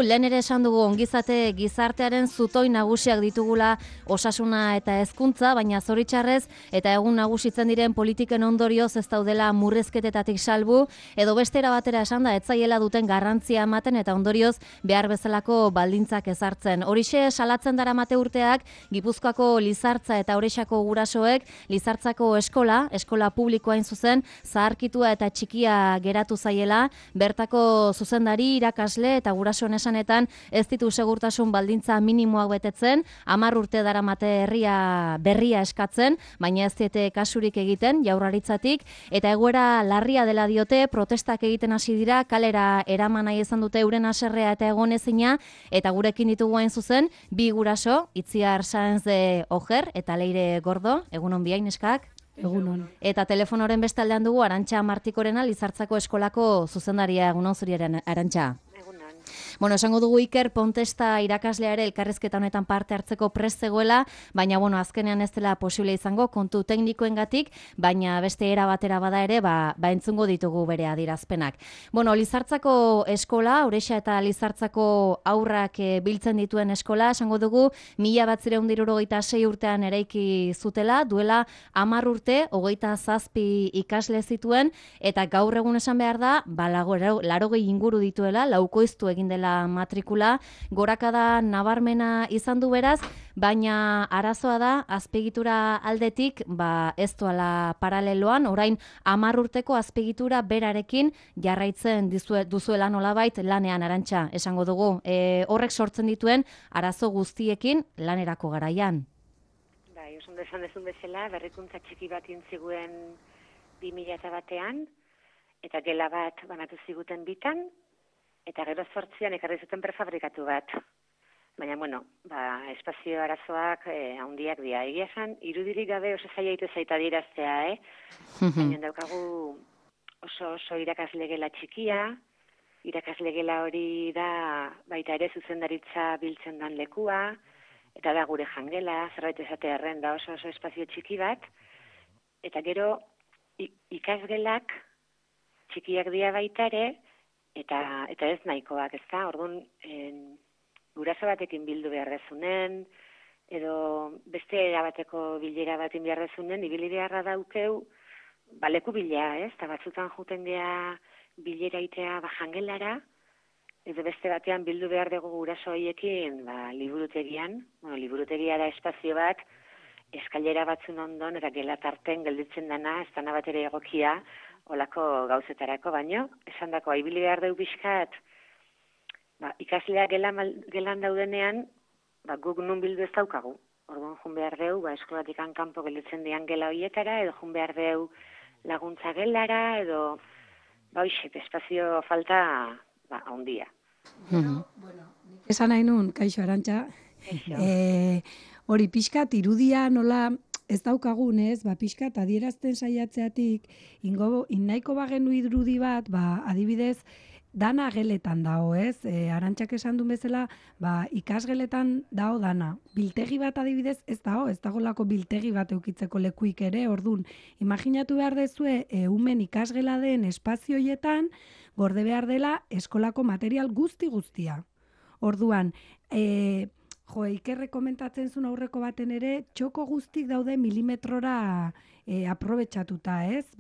Lehen ere esan dugu ongizate gizartearen zutoi nagusiak ditugula osasuna eta hezkuntza, baina zoritxarrez eta egun nagusitzen diren politiken ondorioz ez daudela murrizketetatik salbu, edo bestera batera esan da etzaiela duten garrantzia ematen eta ondorioz behar bezalako baldintzak ezartzen. Horixe salatzen daramate urteak Gipuzkoako Lizartza eta Orexako gurasoek Lizartzako eskola publikoa hain zuzen, zaharkitua eta txikia geratu zaiela, bertako zuzendari, irakasle eta gurasoen esanetan ez ditu segurtasun baldintza minimoak betetzen, 10 urte daramate herria berria eskatzen, baina ez diete kasurik egiten Jaurlaritzatik, eta egoera larria dela diote, protestak egiten hasi dira, kalera eraman nahi izan dute euren haserrea eta egonezina, eta gurekin ditugu hain zuzen, bi guraso, Itziar Sáenz de Ojer eta Leire Gordo, egunon biain eskak. Egunon. Eta telefonoren bestaldean dugu Arantxa Martikorena, Lizartzako eskolako zuzendaria, egunon zuriaren Arantxa. Bueno, esango dugu Iker Pontesta irakaslea ere elkarrizketa honetan parte hartzeko prest zegoela, baina azkenean ez dela posible izango kontu teknikoengatik, baina beste era batera bada ere, entzungo ditugu bere adierazpenak. Bueno, Lizartzako eskola, Orexa eta Lizartzako haurrak biltzen dituen eskola, esango dugu 1976 urtean eraiki zutela, duela 10 urte, 27 ikasle zituen, eta gaur egun esan behar da, 80 inguru dituela, laukoiztu egin dela matrikula, gorakada nabarmena izan du beraz, baina arazoa da, azpiegitura aldetik, ez doala paraleloan, orain 10 urteko azpiegitura berarekin jarraitzen duzuela nolabait lanean, Arantxa, esango dugu. Horrek sortzen dituen arazo guztiekin lanerako garaian. Bai, oso ondo esan dezun bezala, berrikuntza txiki bat intziguen 2001ean, eta gela bat banatu ziguten bitan, eta gero 8an ekarri zuten prefabrikatu bat. Baina, espazio arazoak handiak dira. Egia esan, irudirik gabe oso zaila ite zaita diraztea, Baina daukagu oso irakasle gela txikia, irakasle gela hori da baita ere zuzendaritza biltzen dan lekua, eta da gure jangela, zerbait esate arren da oso espazio txiki bat, eta gero ikasgelak txikiak dira baita ere, eta ez nahikoak, ez da? Orduan, guraso batekin bildu behar dezunen, edo beste erabateko bilera batin behar dezunen, ibili beharra daukeu, leku bila, ez? Eta batzutan juten geha bilera itea jangelara, edo beste batean bildu behar dugu guraso horiekin liburutegian. Liburutegia da espazio bat, eskailera batzun ondon, eta gelatarten gelditzen dana, ez dana bat ere egokia, olako gauzetarako, baino, esan dako, ibili behar dugu pixkat, ikasleak gelan daudenean, guk nun bildu ez daukagu. Orduan, jun behar dugu, eskolatik kanpo gelditzen dian gela horietara, edo jun behar dugu laguntza gelara, edo, espazio falta, handia. Esan nahi nun, kaixo Arantxa, hori pixkat irudia nola ez daukagun, ez, pixkat adierazten saiatzeatik, nahiko bagenu irudi bat, adibidez, dana geletan dago, ez? Arantxak esan duen bezala, ikasgeletan dago dana. Biltegi bat adibidez ez dago lako biltegi bat eukitzeko lekuik ere, ordun. Imaginatu behar dezue, umen ikasgela den espazioietan, gorde behar dela eskolako material guztia. Orduan, Ikerre komentatzen zuen aurreko baten ere, txoko guztik daude milimetrora aprobetxatuta, ez?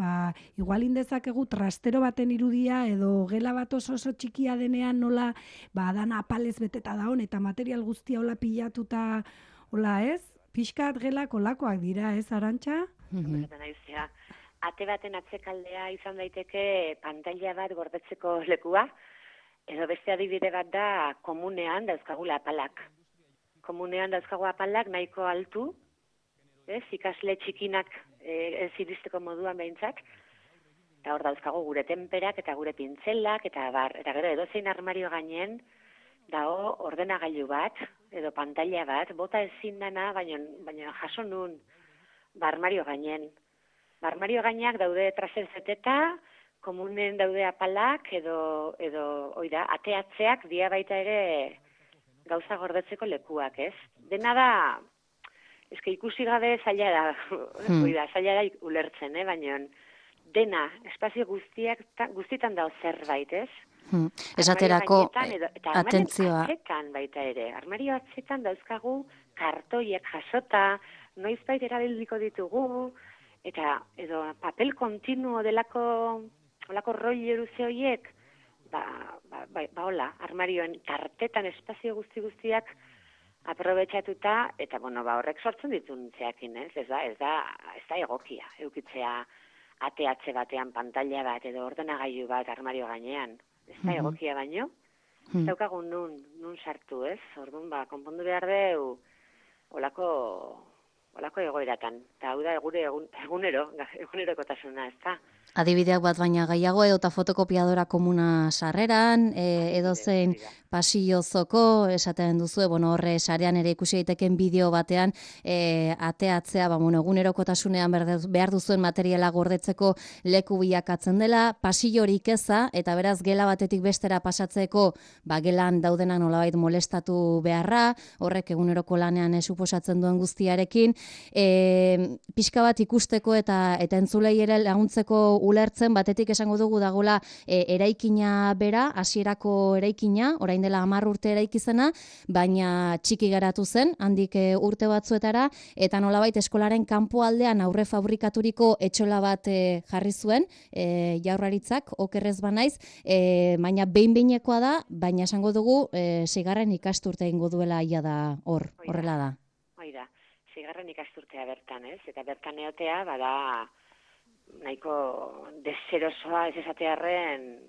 Igual indezakegu trastero baten irudia edo gela bat oso txikia denean nola dana apalez beteta daun eta material guztia hola pilatuta, hola, ez? Pixkat gelak olakoak dira, ez, Arantxa? Ate baten atzekaldea izan daiteke pantaila bat gordetzeko lekua, edo beste adibide bat da komunean dauzkagula apalak. Komunean dauzkagu apalak nahiko altu, ikasle txikinak ez iristeko moduan behintzat, eta hor dauzkagu gure tenperak eta gure pintzelak, eta gero edozein armario gainen, dago ordenagailu bat, edo pantaila bat, bota ezin dana, baina jaso nun, armario gainen. Armario gainak daude traserzeteta, komunen daude apalak, edo ateatzeak dia baita ere gauza gordetzeko lekuak, ez? Dena da, ikusi gabe zaila da, zaila da ulertzen, baina dena, espazio guztietan dago zerbait, ez? Esaterako atentzioa. Atzetan baita ere, armario atzetan dauzkagu kartoiek jasota, noizbait erabiliko ditugu, eta edo papel kontinuo olako roi eruze horiek, hola, armarioen tartetan espazio guztiak aprobetxatuta, eta horrek sortzen dituntzeakin, ez da egokia, eukitzea ateatze batean pantalla bat edo ordenagailu bat armario gainean. Ez da egokia baino, ez daukagun nun sartu, ez? Orduan, konpondu behar deu olako egoeratan. Eta hau da gure egunerokotasuna, ez da? Adibideak bat baina gehiago edota fotokopiadora komuna sarreran, edozein pasillozoko, esaten duzu, horre sarean ere ikusi daiteken bideo batean, ateatzea, egunerokotasunean behar duzuen materiala gordetzeko leku bilakatzen dela, pasillorik eza, eta beraz gela batetik bestera pasatzeko, gelan daudenak nolabait molestatu beharra, horrek eguneroko lanean suposatzen duen guztiarekin, pixka bat ikusteko eta entzulei ere laguntzeko ulertzen, batetik esango dugu dagoela eraikina bera, hasierako eraikina, orain dela 10 urte eraikizena, baina txiki geratu zen, handik urte batzuetara, eta nolabait eskolaren kanpoaldean aurre fabrikaturiko etxola bat jarri zuen, Jaurlaritzak, okerrez banaiz, baina behin-behinekoa da, baina esango dugu 6. ikasturte egingo duela ia da horrela da. Oida, 6. ikasturtea bertan, ez? Eta bertan eotea, nahiko deserosoa ez esatearren,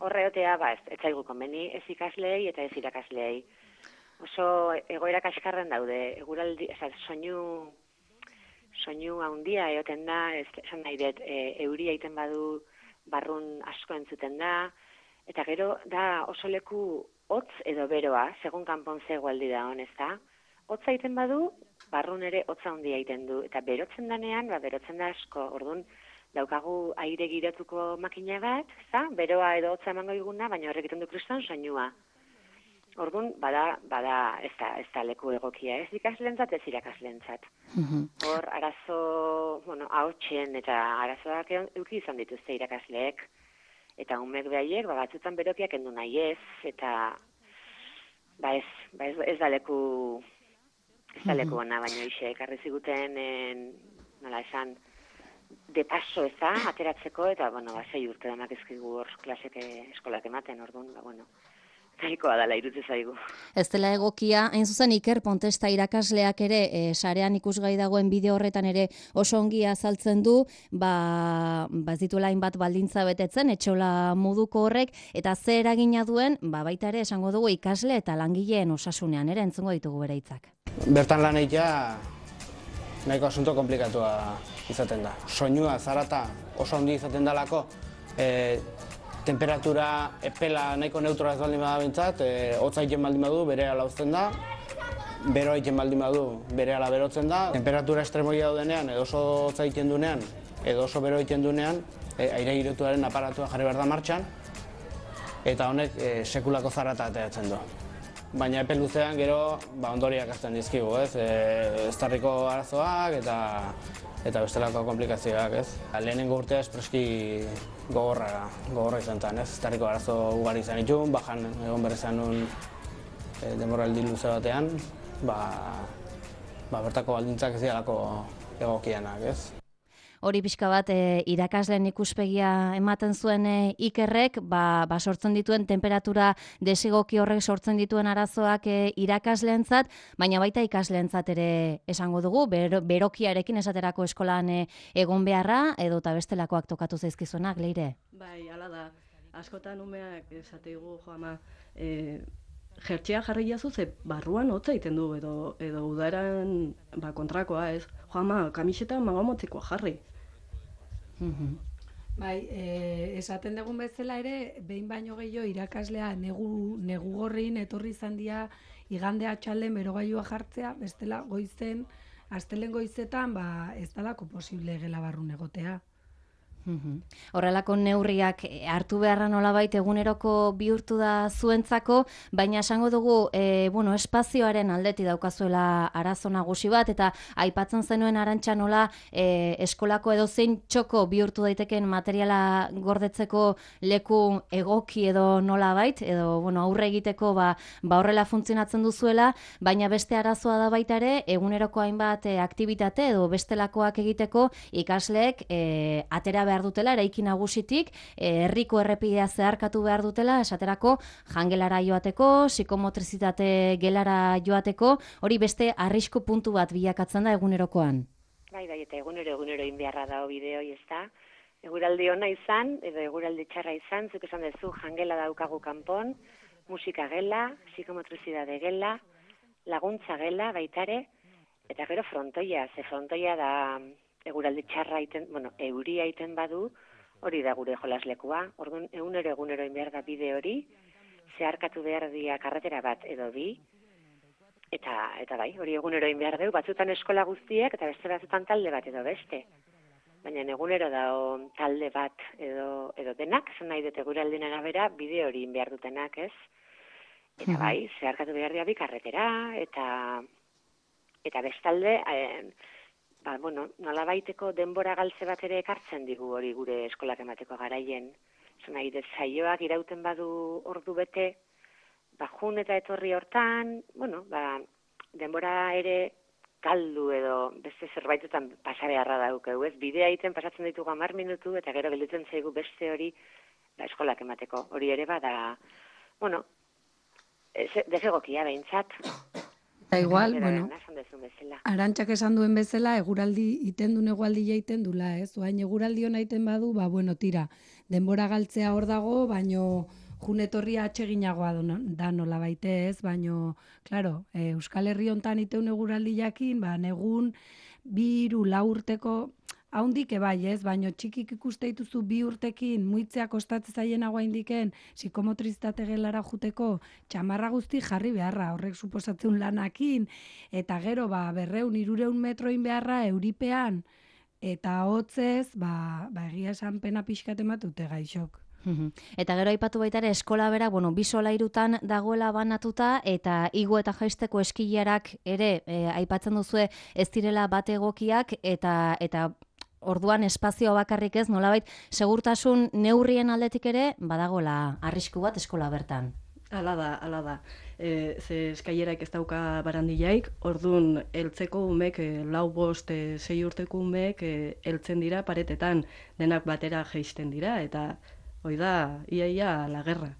horreotea, ez zaigu konbeni ez ikasleei eta ez irakasleei. Oso egoera kaskarren daude, eguraldi, soinu handia eoten da, esan nahi dut, euria egiten badu barrun asko entzuten da, eta gero da oso leku hotz edo beroa, segun kanpon zegoaldi da hon, ez da? Hotza egiten badu, barrun ere hotza handia egiten du, eta berotzen danean, berotzen da asko, orduan, daukagu aire girotuko makina bat, beroa edo hotza emango diguna, baina horrek egiten du kriston soinua. Orduan, ez da leku egokia, ez ikaslentzat, ez irakaslentzat. Hor, arazo, ahotsen eta arazoak euki izan dituzte irakasleek, eta umek behaiek, batzutan berokiak endu nahi ez, eta ez da leku ona, baina ekarri ziguten, nola esan, de paso ez da, ateratzeko, eta, 6 urte danak ezkigu hor klasek eskolak ematen, orduan, nahikoa dala irutzen zaigu. Ez dela egokia, hain zuzen Iker Pontesta irakasleak ere, sarean ikusgai dagoen bideo horretan ere oso ongi azaltzen du, ez dituela hainbat baldintza betetzen, etxola moduko horrek, eta ze eragina duen, baita ere esango dugu ikasle eta langileen osasunean, ere entzungo ditugu bere hitzak. Bertan lan egitea nahiko asunto komplikatua izaten da. Soinua, zarata oso handi izaten dalako, temperatura epela nahiko neutroa ez baldin bada bintzat, hotza egiten baldin badu bere ala uzten da, beroa egiten baldin badu bere ala berotzen da, temperatura estremoia daudenean, edo oso hotza egiten dunean, edo oso bero egiten dunean, aire girotuaren aparatua jarri behar da martxan, eta honek sekulako zarata ateratzen du. Baina epe luzean gero ondoriak azten dizkigu, ez? Eztarriko arazoak eta bestelako komplikazioak, ez? Lehenengo urtea espreski gogorra izan zen, ez? Eztarriko arazo ugari izan itxun, bajan egon berrizan nun denboraldi luze batean, bertako baldintzak ez dialako egokianak, ez? Hori pixka bat irakasleen ikuspegia ematen zuen Ikerrek, sortzen dituen temperatura desegoki horrek sortzen dituen arazoak irakasleentzat, baina baita ikasleentzat ere esango dugu, berokiarekin esaterako eskolan egon beharra, edo eta bestelakoak tokatu zaizkizuenak, Leire? Bai, hala da. Askotan umeak esateigu, ama, jertxea jarri jazu, ze barruan hotza egiten du, edo udaran kontrakoa, ez? Ama, kamiseta magamotzikoa jarri. Bai, esaten dugun bezala ere, behin baino gehiago irakaslea negu gorrin etorri izan dira igande atxalden berogailua jartzea, bestela goizen, astelen goizetan, ez dalako posible gela barrun egotea. Horrelako neurriak hartu beharra nolabait eguneroko bihurtu da zuentzako, baina esango dugu, espazioaren aldeti daukazuela arazo nagusi bat, eta aipatzen zenuen Arantxa nola eskolako edozein txoko bihurtu daiteken materiala gordetzeko leku egoki edo nolabait, edo aurre egiteko horrela funtzionatzen duzuela, baina beste arazoa da baita ere, eguneroko hainbat aktibitate edo bestelakoak egiteko ikasleek atera behar dutela, eraiki nagusitik, herriko errepidea zeharkatu behar dutela, esaterako jangelara joateko, psikomotrizitate gelara joateko, hori beste arrisku puntu bat bilakatzen da egunerokoan. Bai, eta egunero inbeharra da bideoi, ez da? Eguraldi ona izan, edo eguraldi txarra izan, zuk esan duzu jangela daukagu kanpon, musika gela, psikomotrizidade gela, laguntza gela baitare, eta gero frontoia, ze frontoia da eguraldi txarra euria iten badu, hori da gure jolaslekua. Orduan, egunero inbehar da bide hori, zeharkatu behar dia karretera bat edo bi, eta bai, hori egunero inbehar dugu, batzutan eskola guztiek, eta beste batzutan talde bat edo beste. Baina egunero da talde bat edo denak, zan nahi dut eguraldien arabera, bide hori inbehar dutenak, ez? Eta bai, zeharkatu behar dia bi karretera, eta bestalde, nolabaiteko denbora galtze bat ere ekartzen digu hori gure eskolak emateko garaien. Zan nahi dut saioak irauten badu ordu bete, jun eta etorri hortan, denbora ere galdu edo beste zerbaitetan pasabeharra daukegu, ez? Bidea egiten pasatzen ditugu 10 minutu eta gero gelditzen zaigu beste hori eskolak emateko. Hori ere bada, desegokia behintzat. Eta igual, Arantxak esan duen bezala, eguraldi iten duen egualdia iten dula, ez? Oain eguraldi hona iten badu, tira, denbora galtzea hor dago, baino junetorria atseginagoa da nola baite, ez? Baino, klaro, Euskal Herri hontan iteun eguraldi jakin, negun, 2-4 urteko, haundik ebai, ez? Baino txikik ikuste dituzu 2 urtekin, muitzea kostatzen zaienagoa indiken, psikomotrizitate gelara juteko, txamarra guzti jarri beharra, horrek suposatzen lanakin, eta gero, 200-300 metroin beharra, euripean, eta hotzez, egia esan pena pixkat ematute gaixok. Eta gero aipatu baita ere eskola bera, 2 solairutan dagoela banatuta, eta igo eta jaisteko eskilarak ere aipatzen duzue ez direla bat egokiak, eta orduan espazio bakarrik ez, nolabait, segurtasun neurrien aldetik ere, badagola arrisku bat eskola bertan. Hala da. Ze eskailerak ez dauka barandilaik, orduan heltzeko umek, 4, 5, 6 urteko umek heltzen dira paretetan, denak batera jaisten dira, eta hoi da, ia la guerra.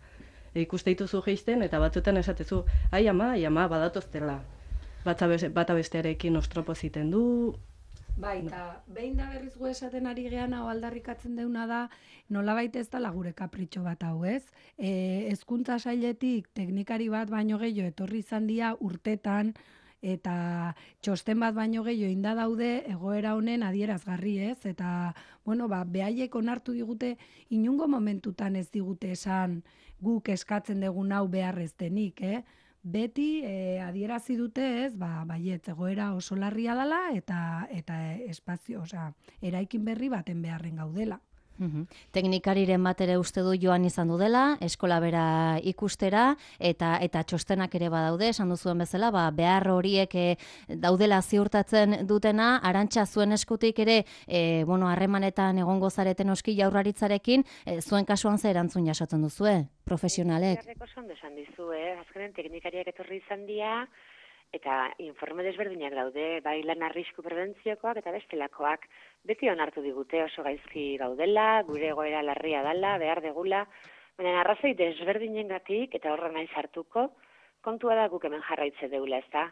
Ikuste dituzu jaisten, eta batzutan esatezu, ai ama, badatoztela. Bata bestearekin ostropo ziten du. Bai, eta behin da berriz gu esaten ari gehan hau aldarrikatzen deuna da, nolabait ez dela gure kapritxo bat hau, ez? Hezkuntza sailetik teknikari bat baino gehiago etorri izan dira urtetan, eta txosten bat baino gehiago inda daude egoera honen adierazgarri, ez? Eta, behaiek onartu digute, inungo momentutan ez digute esan guk eskatzen dugun hau beharrez denik, Beti adierazi dute, ez, baiet, egoera oso larria dela eta espazio, eraikin berri baten beharren gaudela. Teknikariren bat ere uste du joan izan du dela, eskola bera ikustera, eta txostenak ere badaude, esan duzuen bezala, behar horiek daudela ziurtatzen dutena, Arantxa zuen eskutik ere, harremanetan egongo zareten oski Jaurlaritzarekin, zuen kasuan ze erantzun jasotzen duzue, profesionalek? Jarreko zondo esan dizu, azkenen teknikariak etorri izan dira, eta informe desberdinak daude, bai lan arrisku prebentziokoak eta bestelakoak, beti onartu digute oso gaizki gaudela, gure egoera larria dela, behar degula, baina arrazoi desberdinengatik eta horra nahi sartuko, kontua da guk hemen jarraitze deula, ez da?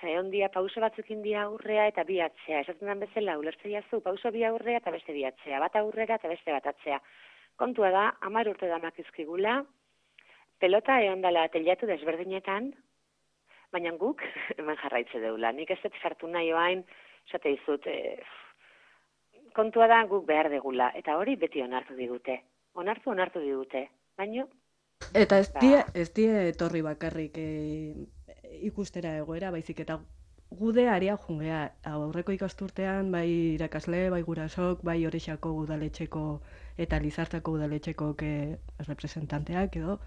Egon dia pauso batzuk india aurrea eta bi atzea, esaten den bezala, ulertzea zu, pauso bi aurrea eta beste bi atzea, bat aurrera eta beste bat atzea. Kontua da, 10 urte damak izkigula, pelota egon dela teilatu desberdinetan, baina guk hemen jarraitze deula. Nik ez dut sartu nahi oain, esate izut, kontua da guk behar degula. Eta hori beti onartu digute. Onartu digute. Baina... Eta ez die etorri bakarrik ikustera egoera, baizik eta gude area jungea, aurreko ikasturtean, bai irakasle, bai gurasok, bai Orexako udaletxeko eta Lizartzako udaletxeko representanteak edo,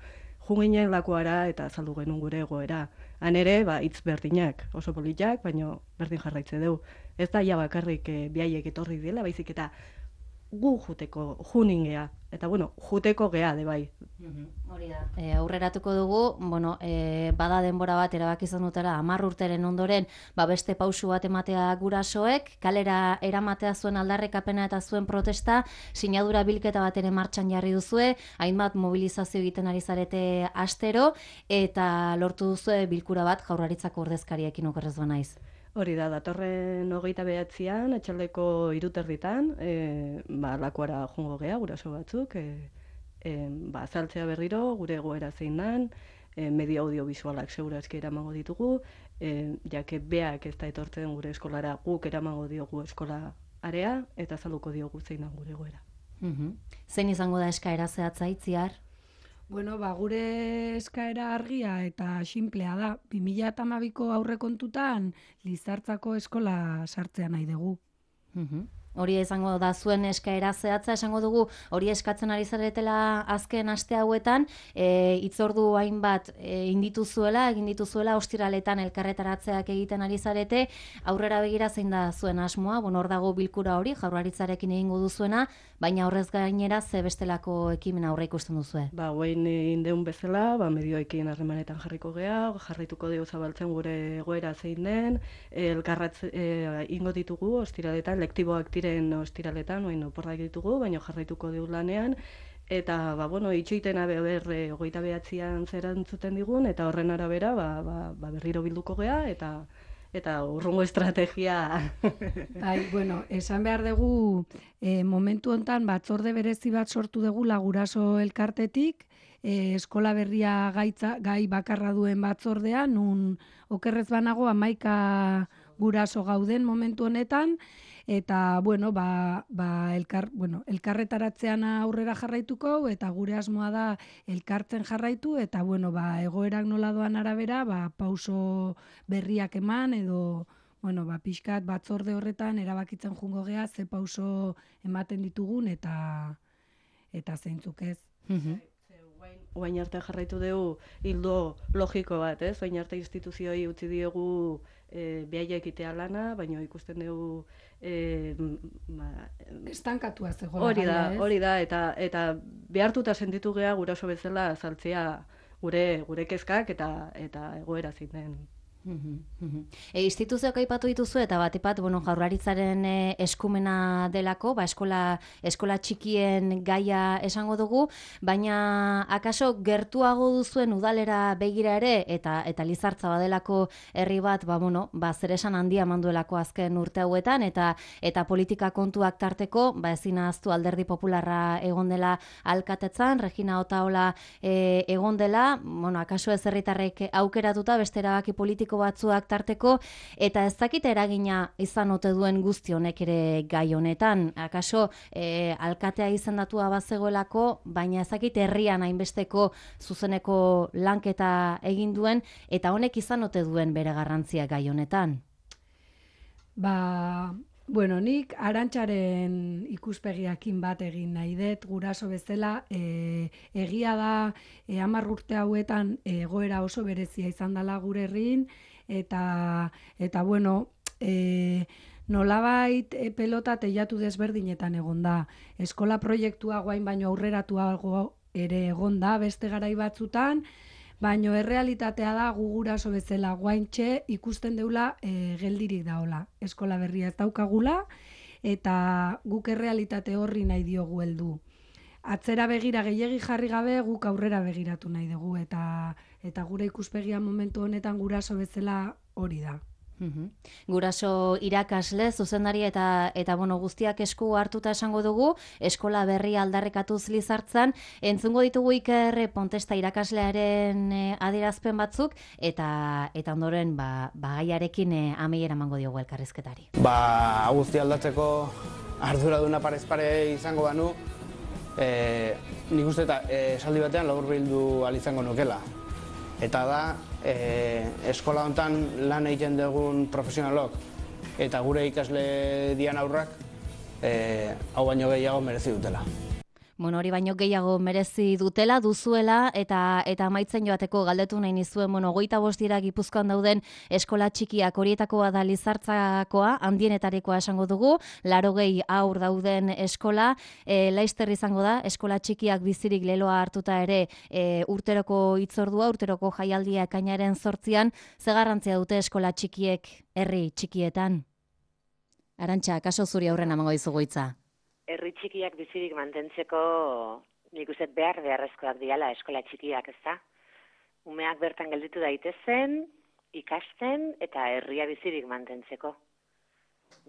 junginen lakuara eta azaldu genuen gure egoera. Han ere, hitz berdinak, oso politak, baina berdin jarraitze dugu. Ez da ja bakarrik biaiek etorri dela, baizik eta gu juteko, junin gea. Eta, juteko gea, de bai. Hori da. Aurreratuko dugu, bada denbora bat erabaki izan dutela 10 urteren ondoren, beste pausu bat ematea gurasoek, kalera eramatea zuen aldarrikapena eta zuen protesta, sinadura bilketa bat ere martxan jarri duzue, hainbat mobilizazio egiten ari zarete astero, eta lortu duzue bilkura bat Jaurlaritzako ordezkariekin okerrez banaiz. Hori da, datorren 29an, atxaldeko 3:30, lakuara jungo gea, guraso batzuk, azaltzea berriro, gure egoera zein dan, media audiovisualak segurazki eramango ditugu, jake beak ez da etortzen gure eskolara, guk eramango diogu eskola area, eta azalduko diogu zein dan gure egoera. Zein izango da eskaera zehatza Itziar? Gure eskaera argia eta xinplea da. 2012ko aurrekontutan Lizartzako eskola sartzea nahi dugu. Hori izango da zuen eskaera zehatza, esango dugu hori eskatzen ari zaretela azken aste hauetan, hitzordu hainbat egin dituzuela ostiraletan elkarretaratzeak egiten ari zarete, aurrera begira zein da zuen asmoa, hor dago bilkura hori, Jaurlaritzarekin egingo duzuena, baina horrez gainera ze bestelako ekimena aurre ikusten duzue? Guain indeun bezala, medioekin harremanetan jarriko gea, jarraituko dugu zabaltzen gure egoera zein den, ingo ditugu ostiraletan, lektiboak ostiraletan, oporrak ditugu, baina jarraituko dugu lanean, eta, itxoitena 29an zerantzuten digun, eta horren arabera, berriro bilduko gea, eta urrungo estrategia. Esan behar dugu, momentu hontan batzorde berezi bat sortu dugu guraso elkartetik, eskola berria gai bakarra duen batzordea, nun okerrez banago 11 guraso gauden momentu honetan, eta, elkarretaratzean aurrera jarraituko, eta gure asmoa da elkartzen jarraitu, eta, egoerak nola doan arabera, pauso berriak eman, edo, pixkat batzorde horretan erabakitzen jungo gea, ze pauso ematen ditugun, eta zeintzuk ez. Oain arte jarraitu dugu hildo logiko bat, ez? Oain arte instituzioi utzi diogu behaiek itea lana, baina ikusten dugu estankatua zegoela. Hori da, eta behartuta sentitu gea guraso bezala azaltzea gure kezkak eta egoera zein den. Instituzioak aipatu dituzu eta bat Jaurlaritzaren eskumena delako, eskola txikien gaia esango dugu, baina akaso gertuago duzuen udalera begira ere eta Lizartza badelako herri bat, zer esan handia manduelako azken urte hauetan eta politika kontuak tarteko, ezin ahaztu Alderdi Popularra egon dela alkatetzan, Regina Otaola egon dela, akaso ez herritarrek aukeratuta beste erabaki politiko batzuak tarteko, eta ez dakite eragina izan ote duen guzti honek ere gai honetan. Akaso alkatea izendatua bazegoelako, baina ez dakite herrian hainbesteko zuzeneko lanketa egin duen, eta honek izan ote duen bere garrantzia gai honetan. Nik Arantxaren ikuspegiakin bat egin nahi dut, guraso bezala, egia da 10 urte hauetan egoera oso berezia izan dela gure herrin, eta nolabait pelota teilatu desberdinetan egon da. Eskola proiektua guain baino aurreratuago ere egon da beste garai batzutan, baino errealitatea da gu guraso bezala guaintxe ikusten deula geldirik daola. Eskola berria ez daukagula, eta guk errealitate horri nahi diogu heldu. Atzera begira gehiegi jarri gabe guk aurrera begiratu nahi dugu, eta gure ikuspegia momentu honetan guraso bezala hori da. Guraso irakasle, zuzendari eta guztiak esku hartuta esango dugu, eskola berria aldarrikatuz Lizartzan, entzungo ditugu Iker Pontesta irakaslearen adierazpen batzuk, eta ondoren gaiarekin amaiera emango diogu elkarrizketari. Guzti aldatzeko arduraduna parez pare izango banu, nik uste eta esaldi batean laburbildu ahal izango nukela. Eta da, eskola honetan lan egiten dugun profesionalok eta gure ikasle dian aurrak hau baino gehiago merezi dutela. Bueno, hori baino gehiago merezi dutela, duzuela, eta amaitzen joateko galdetu nahi nizuen, 25 dira Gipuzkoan dauden eskola txikiak, horietakoa da Lizartzakoa, handienetarikoa esango dugu, 80 haur dauden eskola, Laister izango da, eskola txikiak bizirik leloa hartuta ere urteroko hitzordua, urteroko jaialdia ekainaren 8an, ze garrantzia dute eskola txikiek herri txikietan? Arantxa, kaso zuri aurren amango dizugu hitza. Herri txikiak bizirik mantentzeko nik uste beharrezkoak diala eskola txikiak, ezta? Umeak bertan gelditu daitezen, ikasten eta herria bizirik mantentzeko.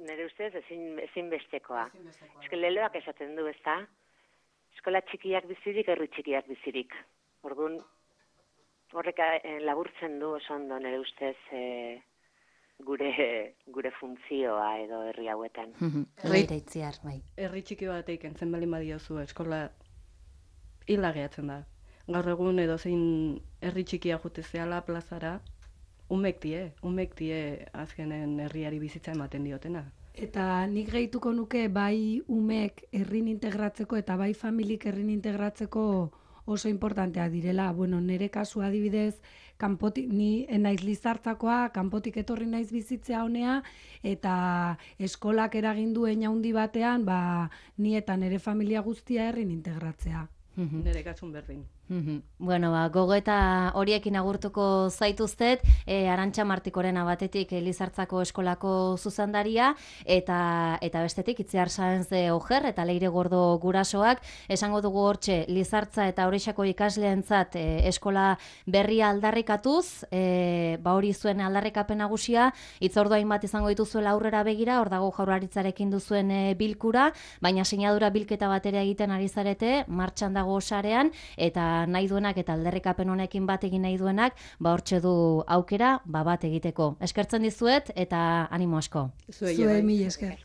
Nire ustez ezin bestekoa. Eske leloak esaten du, ezta? Eskola txikiak bizirik, herri txikiak bizirik. Orduan, horrek laburtzen du oso ondo nire ustez gure funtzioa edo herri hauetan. Itziar, bai. Herri txiki bateik entzen baldin badiozu eskola hila gehatzen da. Gaur egun edo zein herri txikia jute zehala plazara, umek die azkenen herriari bizitza ematen diotena. Eta nik gehituko nuke bai umek herrin integratzeko eta bai familik herrin integratzeko oso importantea direla. Bueno, nire kasu adibidez, ni naiz Lizartzakoa, kanpotik etorri naiz bizitzea honea, eta eskolak eragin duen handi batean, ni eta nire familia guztia herrin integratzea. Nire kasun berdin. Bueno, gogoeta horiekin agurtuko zaituztet, Arantxa Martikorena batetik Lizartzako eskolako zuzendaria, eta bestetik Itziar Sáenz de Ojer eta Leire Gordo gurasoak, esango dugu hortxe Lizartza eta Orexako ikasleentzat eskola berria aldarrikatuz, hori zuen aldarrikapen nagusia, hitzordu hainbat izango dituzuela aurrera begira, hor dago Jaurlaritzarekin duzuen bilkura, baina sinadura bilketa batera egiten ari zarete, martxan dago sarean, eta nahi duenak eta aldarrikapen honekin bat egin nahi duenak, hortxe du aukera, bat egiteko. Eskertzen dizuet eta animo asko. Zuei mila esker.